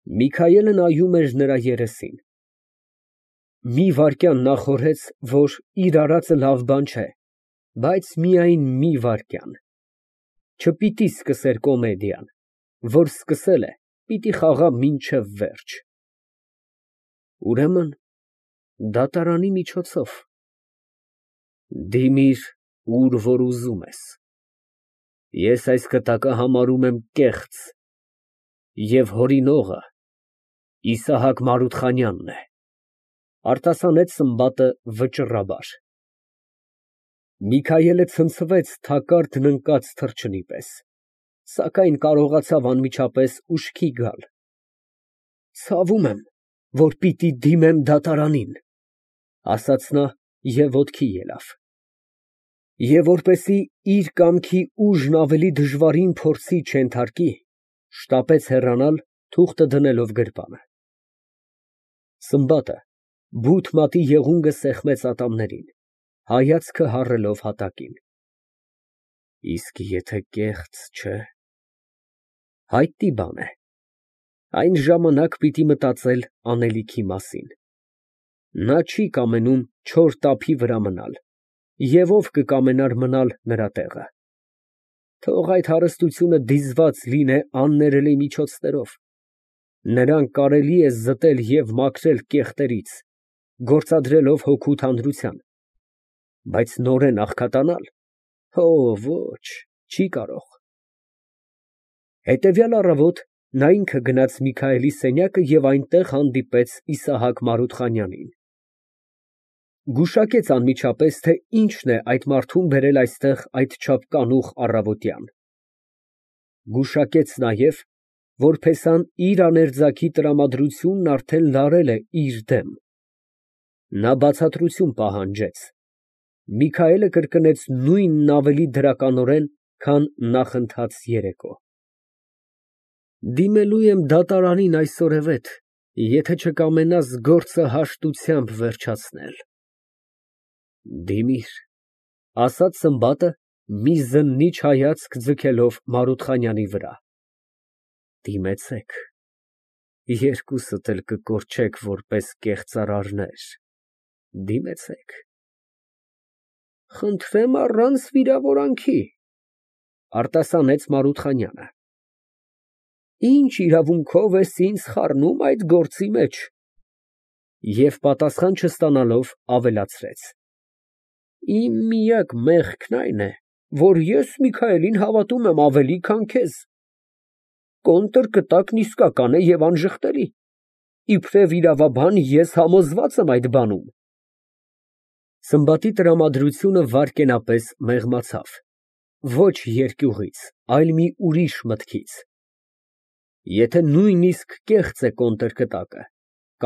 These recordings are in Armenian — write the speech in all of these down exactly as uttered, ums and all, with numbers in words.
Միքայելը նայում էր նրա երեսին։ Մի վայրկյան նախորհեց, որ իր արածը լավ բան չէ, բայց միայն մի վայրկյան, չպիտի սկսեր կոմեդիան, որ սկսել է, պիտի խաղա մինչև վերջ։ Ուրեմն դատարանի միջոցով։ Դիմիր, ուր որ ուզում ես, ես այս կտակը համարում եմ կեղծ, և հորինողը Իսահակ Մարութխանյանն է, արտասանեց Սմբատը վճռաբար։ Միքայելը ցնցվեց թակարդն ընկած թռչնի պես, սակայն կարողացավ անմիջապես ուշքի գալ։ Ցավում եմ, որ պիտի դիմեմ դատարանին, ասաց նա և ոտքի ելավ։ Եվ որպեսզի իր կամքի ուժն ավելի դժվարին փորձի չենթարկի, շտապեց հեռանալ, թուղթը դնելով գրպանը։ Սմբատը բութ մատի եղունգը սեղմեց ատամներին, հայացքը հառելով հատակին։ Իսկ եթե կեղծ չէ՞։ Հայտնի բան է, այն ժամանակ պիտի մտածել անելիքի մասին։ Նա չի կամենում չոր տափի վրա մնալ, և ով կկամենար մնալ նրա տեղը։ Թող այդ հարստությունը դիզված լինե աններելի միջոցներով, նրան կարելի է զտել և մաքրել կեղտերից, գործադրելով հոգու թանրության, բայց նորեն աղքատանալ, հո ոչ, չի կարող։ Հետևյալ առավոտ նա ինքը գնաց Միքայելի սենյակը և այնտեղ հանդիպեց Իսահակ Մարութխանյանին։ Գուշակեց անմիջապես, թե ինչն է այդ մարդուն բերել այստեղ այդչափ կանուխ առավոտյան։ Գուշակեց նաև, որ փեսան իր աներձակի տրամադրությունն արդեն լարել է իր դեմ։ Նա բացատրություն պահանջեց։ Միքայելը կրկնեց նույնն ավելի դրականորեն, քան նախընթաց երեկո։ Դիմելու եմ դատարանին այսօրևետ, եթե չկամենաս գործը հաշտությամբ վերջացնել։ Դիմիր, ասաց Սմբատը, մի զննիչ հայացք ձգելով Մարութխանյանի վրա։ Դիմեցեք, երկուսդ էլ կկորչեք որպես կեղծարարներ, դիմեցեք։ Խնդրեմ առանց վիրավորանքի, արտասանեց Մարութխանյանը։ Ինչ իրավունքով ես ինձ խառնում այդ գործի մեջ։ Եվ պատասխան չստանալով, ավելացրեց. Իմ միակ մեղքն այն է, որ ես Միքայելին հավատում եմ ավելի, քան քեզ։ Կոնտրկտակն իսկական է և անժխտելի, իբրև իրավաբան ես համոզված եմ այդ բանում։ Սմբատի տրամադրությունը վայրկենապես մեղմացավ, ոչ երկյուղից, այլ մի ուրիշ մտքից։ Եթե նույնիսկ կեղծ է կոնտրկտակը,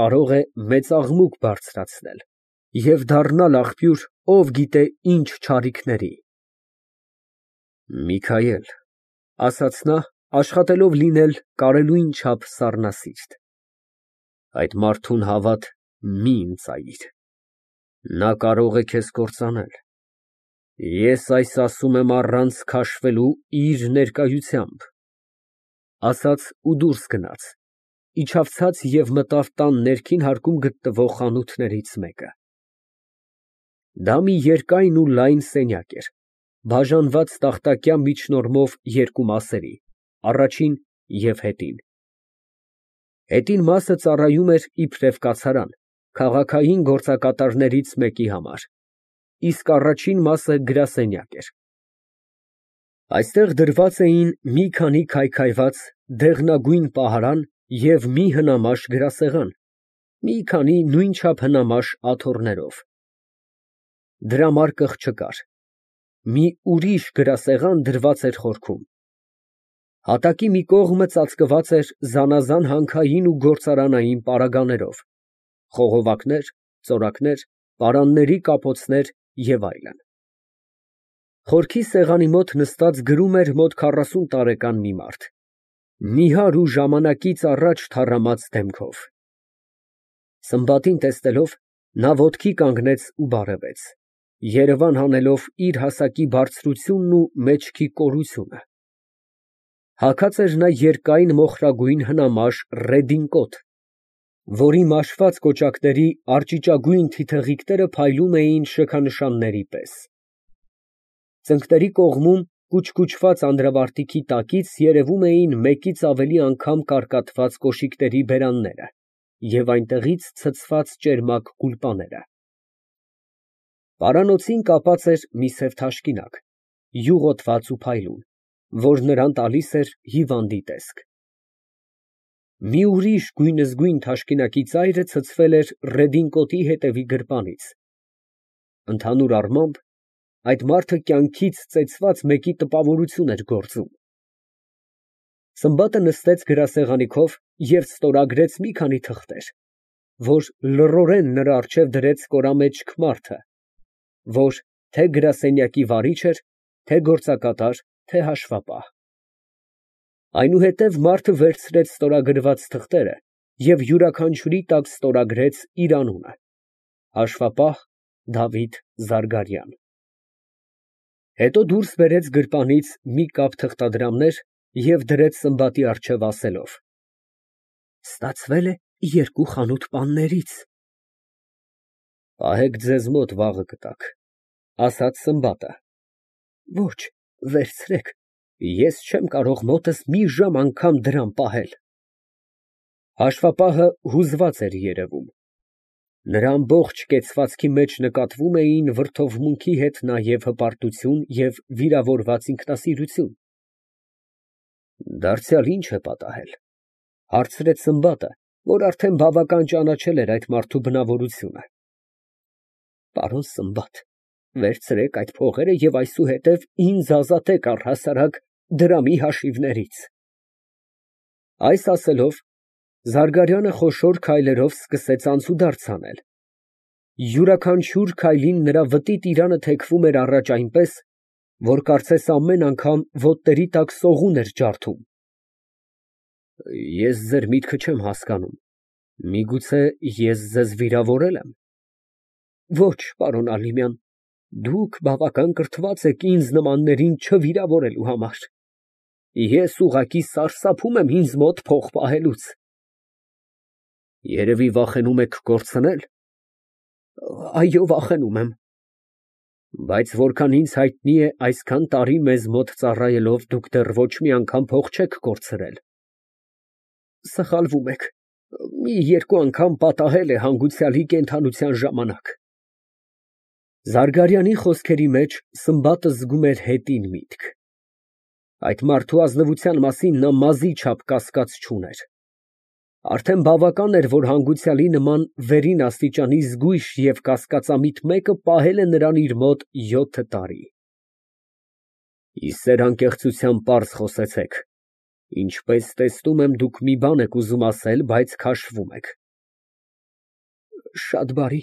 կարող է մեծ աղմուկ բարձրացնել և դառնալ աղբյուր ով գիտե ինչ չարիքների։ Միքայել, ասաց նա, աշխատելով լինել կարելույն չափ սառնասիրտ, այդ մարդուն հավատ մի ընծայիր, նա կարող է քեզ կործանել։ Ես այս ասում եմ առանց քաշվելու իր ներկայությամբ։ Ասաց ու դուրս գնաց, իջավ ցած և մտավ տան ներքին հարկում գտնվող խանութներից մեկը։ Դա մի երկայն ու լայն սենյակ էր, բաժանված տախտակյա միջնորմով երկու մասերի, առաջին և հետին։ Հետին մասը ծառայում էր իբրև կացարան, քաղաքային գործակատարներից մեկի համար, իսկ առաջին մասը գրասենյակ էր։ Այստեղ դրված էին մի քանի քայքայված, դեղնագույն պահարան և մի հնամաշ գրասեղան, մի քանի նույնչափ հնամաշ աթոռներով։ Դրամարկղ չկար։ Մի ուրիշ գրասեղան դրված էր խորքում։ Հատակի մի կողմը ծածկված էր զանազան հանքային ու գործարանային պարագաներով, խողովակներ, ծորակներ, պարանների կապոցներ և այլն։ Խորքի սեղանի մոտ նստած գրում էր մոտ քառասուն տարեկան մի մարդ, նիհար ու ժամանակից առաջ թառամած դեմքով։ Սմբատին տեսնելով, նա ոտքի կանգնեց ու բարևեց, երևան հանելով իր հասակի բարձրությունն ու մեջքի կորությունը։ Հագած էր նա երկայն մոխրագույն հնամաշ ռեդինկոտ, որի մաշված կոճակների արճիճագույն թիթեղիկները փայլում էին շքանշանների պես։ Ծնկների կողմում կուչկուչված անդրավարտիքի տակից երևում էին մեկից ավելի անգամ կարկատված կոշիկների բերանները և այնտեղից ցցված ճերմակ գուլպաները։ Պարանոցին կապած էր մի սև թաշկինակ, յուղոտված ու փայլուն, որ նրան տալիս էր հիվանդի տեսք։ Մի ուրիշ գույնզգույն թաշկինակի ծայրը ցցվել էր ռեդինկոտի հետևի գրպանից։ Ընդհանուր առմամբ, այդ մարդը կյանքից ծեծված մեկի տպավորություն էր գործում։ Սմբատը նստեց գրասեղանի քով և ստորագրեց մի քանի թղթեր, որ լռորեն նրա առջև դրեց կորամեջք մարդը, որ թե գրասենյակի վարիչ էր, թե գործակատար, թե հաշվապահ։ Այնուհետև մարդը վերցրեց ստորագրված թղթերը և յուրաքանչյուրի տակ ստորագրեց իր անունը՝ հաշվապահ Դավիթ Զարգարյան։ Հետո դուրս բերեց գրպանից մի կապ թղթադրամներ և դրեց Սմբատի առջև, ասելով. «Ստացվել է երկու խանութ պաններից»։ «Պահեք ձեզ մոտ, վաղը կտաք», ֊ ասաց Սմբատը։ «Ոչ, վերցրեք, ես չեմ կարող մոտս մի ժամ անգամ դրամ պահել»։ Հաշվապահը հուզված էր երևում։ Նրա ամբողջ կեցվածքի մեջ նկատվում էին վրդովմունքի հետ նաև հպարտություն և վիրավորված ինքնասիրություն։ «Դարձյալ ի՞նչ է պատահել», ֊ հարցրեց Սմբատը, որ արդեն բավական ճանաչել էր այդ մարդու բնավորությունը։ «Պարոն Սմբատ, վերցրեք այդ փողերը և այսուհետև ինձ ազատեք առհասարակ դրամի հաշիվներից»։ Այս ասելով, Զարգարյանը խոշոր քայլերով սկսեց անցուդարձ անել։ Յուրաքանչյուր քայլին նրա վտի տիրանը թեքվում էր առաջ այնպես, որ կարծես ամեն անգամ ոտների տակ սողուն էր ջարդում։ «Ես ձեր միտքը չեմ հասկանում, միգուցե ես ձեզ վիրավորե՞լ եմ»։ «Ոչ, պարոն Ալիմյան, դուք բավական կրթված եք ինձ նմաններին չվիրավորելու համար։ Ես ուղղակի սարսափում եմ ինձ մոտ փող պահելուց»։ «Երևի վախենում եք կորցնել»։ «Այո, վախենում եմ»։ «Բայց որքան ինձ հայտնի է, այսքան տարի մեզ մոտ ծառայելով դուք դեռ ոչ մի անգամ փող չեք կորցրել»։ «Սխալվում եք, մի երկու անգամ պատահել է հանգուցյալի կենդանության ժամանակ»։ Զարգարյանի խոսքերի մեջ Սմբատը զգում էր հետին միտք։ Այդ մարդու ազնվության մասին նա մազի չափ կասկած չուներ։ Արդեն բավական էր, որ հանգուցյալի նման վերին աստիճանի զգույշ և կասկածամիտ մեկը պահել է նրան իր մոտ յոթ տարի։ «Ի սեր անկեղծության պարզ խոսեցեք, ինչպես տեսնում եմ, դուք մի բան եք ուզում ասել, բայց քաշվում եք»։ «Շատ բարի,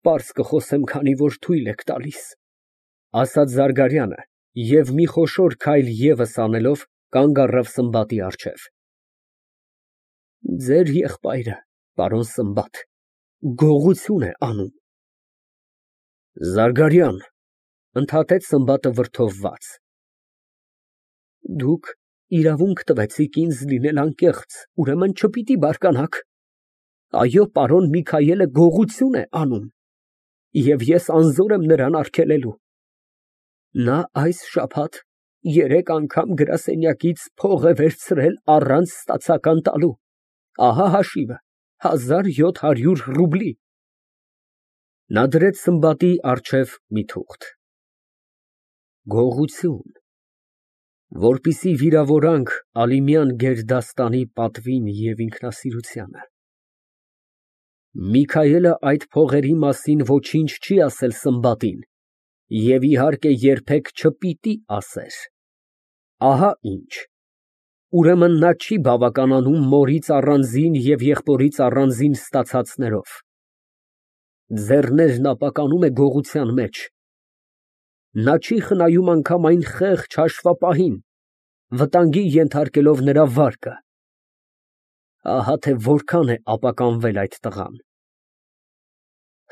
պարզ կխոսեմ, քանի որ թույլ եք տալիս», ֊ ասաց Զարգարյանը և մի խոշոր քայլ ևս անելով կանգ առավ Սմբատի առջև։ «Ձեր եղբայրը, պարոն Սմբատ, գողություն է անում»։ «Զարգարյան», ֊ ընդհատեց Սմբատը վրդովված։ «Դուք իրավունք տվեցիք ինձ լինել անկեղծ, ուրեմն չպիտի բարկանաք։ Այո, պարոն Միքայելը գողություն է անում, և ես անզոր եմ նրան արգելելու։ Նա այս շաբաթ երեք անգամ գրասենյակից փող է վերցրել առանց ստացական տալու։ Ահա հաշիվը, հազար յոթ հարյուր ռուբլի»։ Նա դրեց Սմբատի առջև մի թուղթ։ Գողություն, որպեսզի վիրավորանք Ալիմյան գերդաստանի պատվին և ինքնասիրությանը։ Միքայելը այդ փողերի մասին ոչինչ չի ասել Սմբատին և, իհարկե, երբեք չպիտի ասեր։ Ահա ինչ։ Ուրեմն նա չի բավականանում մորից առանձին և եղբորից առանձին ստացածներով։ Ձեռներն ապականում է գողության մեջ։ Նա չի խնայում անգամ այն խեղճ հաշվապահին, վտանգի ենթարկելով նրա վարկը։ Ահա թե որքան է ապականվել այդ տղան։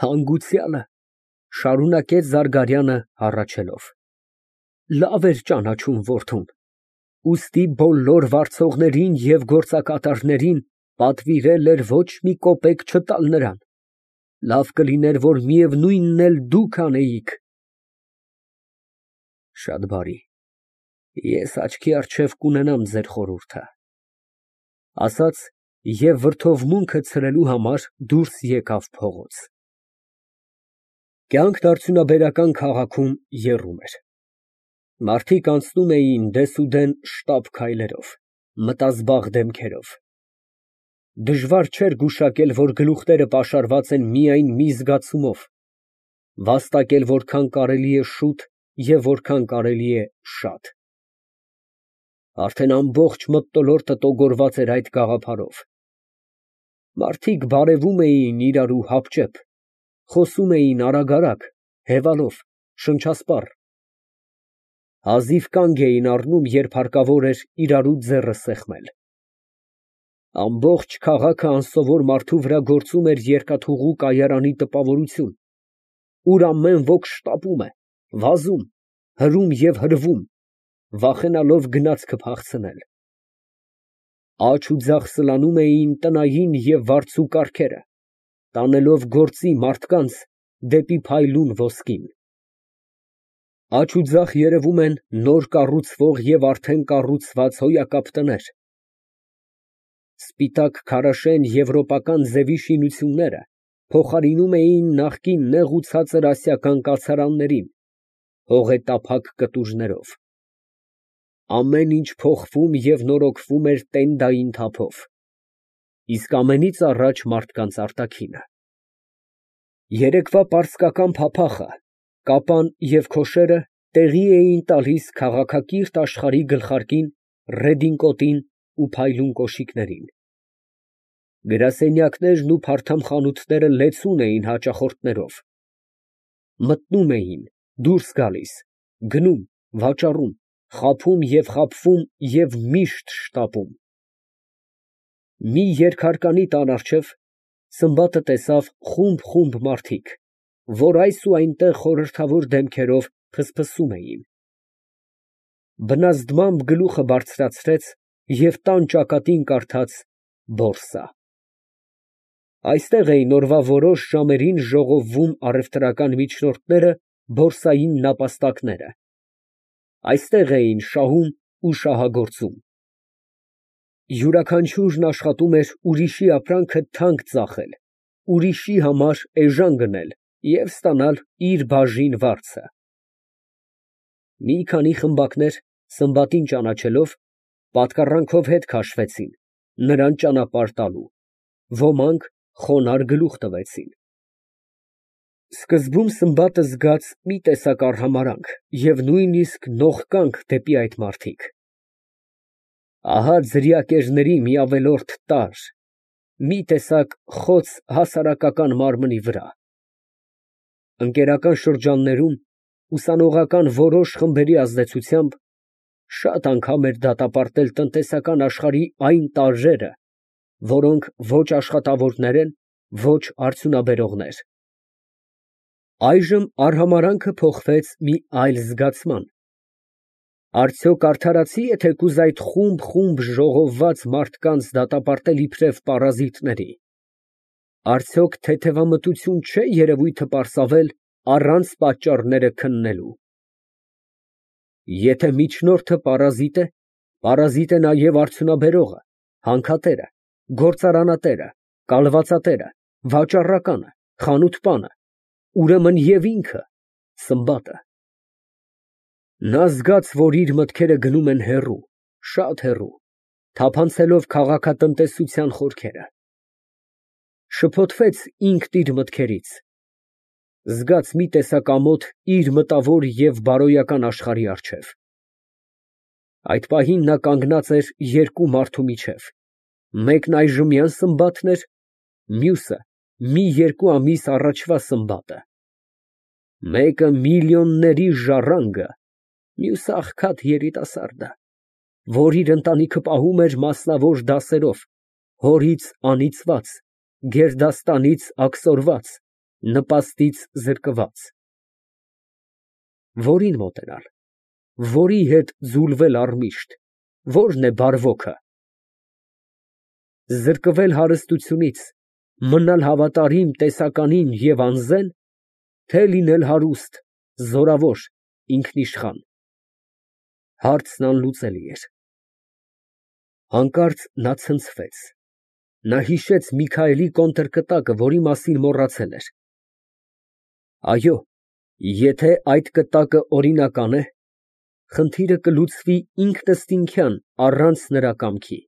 Հանգուցյալը, ֊ շարունակեց Զարգարյանը հառաչելով, ֊ լավ էր ճանաչում որդուն, Ուստի բոլոր վարձողներին և գործակատարներին պատվիրել էր ոչ մի կոպեկ չտալ նրան, լավ կլիներ, որ միևնույնն էլ դուք անեիք։ Շատ բարի, ես աչքի առջև կունենամ ձեր խորհուրդը, ասաց և վրդովմունքը ցրելու համար դուրս եկավ փողոց։ Կյանքն արդյունաբերական քաղաքում եռում էր։ Մարդիկ անցնում էին դեսուդեն շտապ քայլերով, մտազբաղ դեմքերով։ Դժվար չէր գուշակել, որ գլուխները պաշարված են միայն մի զգացումով, վաստակել որքան կարելի է շուտ և որքան կարելի է շատ։ Արդեն ամբողջ մթնոլորտը տոգորված էր այդ գաղափարով։ Մարդիկ բարևում էին իրարու հապճեպ, խոսում էին արագ֊արագ, հևալով, շնչասպառ, հազիվ կանգ էին առնում, երբ հարկավոր էր իրարու ձեռքը սեղմել։ Ամբողջ քաղաքը անսովոր մարդու վրա գործում էր երկաթուղու կայարանի տպավորություն, ուր ամեն ոք շտապում է, վազում, հրում և հրվում, վախենալով գնացքը փախցնել։ Աջ ու ձախ սլանում էին տնային և վարձու կառքերը, տանելով գործի մարդկանց դեպի փայլուն ոսկին։ Աջ ու ձախ երևում են նոր կառուցվող և արդեն կառուցված հոյակապ տներ։ Սպիտակ քարաշեն եվրոպական ձևի շինությունները փոխարինում էին նախկին նեղ ու ցածր ասիական կացարաններին, հողետափակ կտուժներով։ Ամեն ինչ փոխվում և նորոգվում էր տենդային թափով, իսկ ամենից առաջ մարդկանց արտաքինը։ Երեկվա պարսկական փափախը, կապան և քոշերը տեղի էին տալիս քաղաքակիրթ աշխարհի գլխարկին, ռեդինկոտին ու փայլուն կոշիկներին։ Գրասենյակներն ու փարթամ լեցուն էին հաճախորդներով։ Մտնում էին, դուրս գալիս, գնում, վաճառում, խաբում և խաբվում և միշտ շտապում։ Մի երկհարկանի տան առջև Սմբատը տեսավ խումբ֊խումբ մարդիկ, որ այս ու այնտեղ խորհրդավոր դեմքերով ֆսֆսում էին։ Բնազդմամբ գլուխը բարձրացրեց և տան ճակատին կարդաց «Բորսա»։ Այստեղ էին օրվա որոշ ժամերին ժողովվում առևտրական միջնորդները, բորսային նապաստակները։ Այստեղ էին շահում ու շահագործում։ Յուրաքանչյուրն աշխատում էր ուրիշի ապրանքը թանկ ծախել, ուրիշի համար էժան գնել և ստանալ իր բաժին վարձը։ Մի քանի խմբակներ, Սմբատին ճանաչելով, պատկառանքով հետ քաշվեցին, նրան ճանապարհ տալու, ոմանք խոնարհ գլուխ տվեցին։ Սկզբում Սմբատը զգաց մի տեսակ արհամարհանք և նույնիսկ նողկանք դեպի այդ մարդիկ։ Ահա ձրիակերների մի ավելորդ տարր, մի տեսակ խոց հասարակական մարմնի վրա։ Ընկերական շրջաններում, ուսանողական որոշ խմբերի ազդեցությամբ, շատ անգամ էր դատապարտել տնտեսական աշխարհի այն տարրերը, որոնք ոչ աշխատավորներ են, ոչ արդյունաբերողներ։ Այժմ արհամարհանքը փոխվեց մի այլ զգացման. արդյոք արդարացի է թեկուզ այդ խումբ֊խումբ ժողովված մարդկանց դատապարտել իբրև պարազիտների, արդյոք թեթևամտություն չէ երևույթը պարսավել առանց պատճառները քննելու։ Եթե միջնորդը պարազիտ է, պարազիտ է նաև արդյունաբերողը, հանքատերը, գործարանատերը, կալվածատերը, վաճառականը, խանութպանը, ուրեմն և ինքը՝ Սմբատը։ Նա զգաց, որ իր մտքերը գնում են հեռու, շատ հեռու, թափանցելով քաղաքատնտեսության խորքերը։ Շփոթվեց ինքն իր մտքերից, զգաց մի տեսակ ամոթ իր մտավոր և բարոյական աշխարհի առջև։ Այդ պահին նա կանգնած էր երկու մարդու միջև, մեկն այժմյան Սմբատն էր, մյուսը մի երկու ամիս առաջվա Սմբատը։ Մեկը միլիոնների ժառանգը, մյուսը աղքատ երիտասարդը, որ իր ընտանիքը պահում էր մասնավոր դասերով, հորից անիծված, գերդաստանից աքսորված, նպաստից զրկված։ Որին մոտենալ, որի հետ ձուլվել առմիշտ, Ո՞րն է բարվոքը։ Զրկվել հարստությունից, մնալ հավատարիմ տեսականին և անզեն, թե լինել հարուստ, զորավոր, ինքնիշխան։ Հարցն անլուծելի էր։ Հանկարծ նա ցնցվեց, նա հիշեց Միքայելի կոնտրկտակը, որի մասին մոռացել էր։ Այո, եթե այդ կտակը օրինական է, խնդիրը կլուծվի ինքնըստինքյան, առանց նրա կամքի։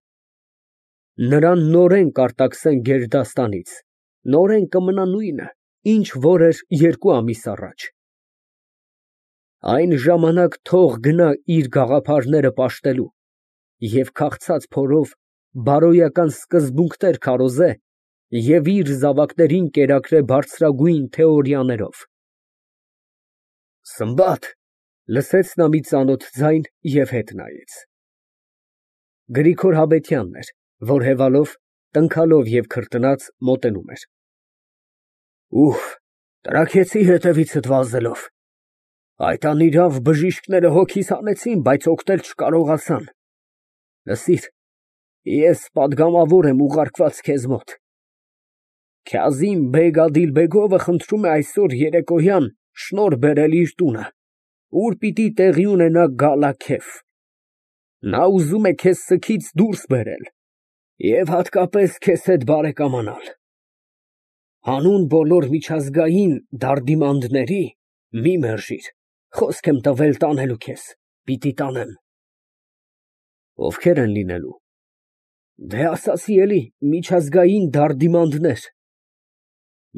Նրան նորեն կարտաքսեն գերդաստանից, նորեն կմնա նույնը, ինչ որ էր երկու ամիս առաջ։ Այն ժամանակ թող գնա իր գաղափարները պաշտելու և քաղցած փորով բարոյական սկզբունքներ քարոզե և իր զավակներին կերակրե բարձրագույն թեորիաներով։ Սմբատ, լսեց նա մի ծանոթ ձայն և հետ նայեց։ Գրիգոր Հավետյանն էր, որ հևալով, տնքալով և քրտնած, մոտենում էր։ Ուֆ, տրաքեցի հետևիցդ վազելով։ Այդ անիրավ բժիշկները հոգիս հանեցին, բայց օգնել չկարողացան։ Լսիր, ես պատգամավոր եմ ուղարկված քեզ մոտ։ Քազիմ֊բեգ Ադիլբեգովը խնդրում է այսօր երեկոյան շնորհ բերել իր տունը, ուր պիտի տեղի ունենա գալա֊քեֆ։ Նա ուզում է քեզ սքից դուրս բերել և հատկապես քեզ հետ բարեկամանալ։ Հանուն բոլոր միջազգային դարդիմանդների մի մերժիր, խոսք եմ տվել տանելու քեզ, պիտի տանեմ։ Ովքե՞ր են լինելու։ Դե, ասացի էլի, միջազգային դարդիմանդներ։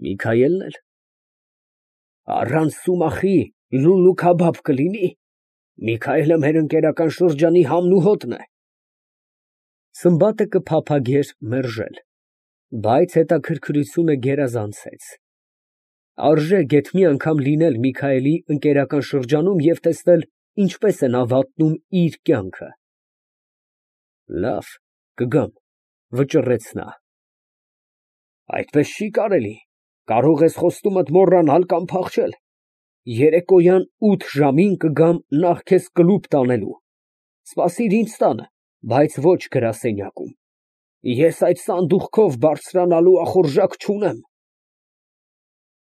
Միքայելն էլ։ Առանց Սումախի լուլու֊քաբաբ կլինի։ Միքայելը մեր ընկերական շրջանի համն ու հոտն է։ Սմբատը կփափագեր մերժել, բայց հետաքրքրությունը գերազանցեց։ Արժե գեթ մի անգամ լինել Միքայելի ընկերական շրջանում և տեսնել, ինչպես է նա վատնում իր կյանքը։ Լավ, կգամ, վճռեց նա։ Այդպես չի կարելի, կարող ես խոստումդ մոռանալ կամ փախչել։ Երեկոյան ութ ժամին կգամ նախ քեզ կլուբ տանելու։ Սպասիր ինձ տանը, բայց ոչ գրասենյակում։ Ես այդ սանդուղքով բարձրանալու ախորժակ չունեմ։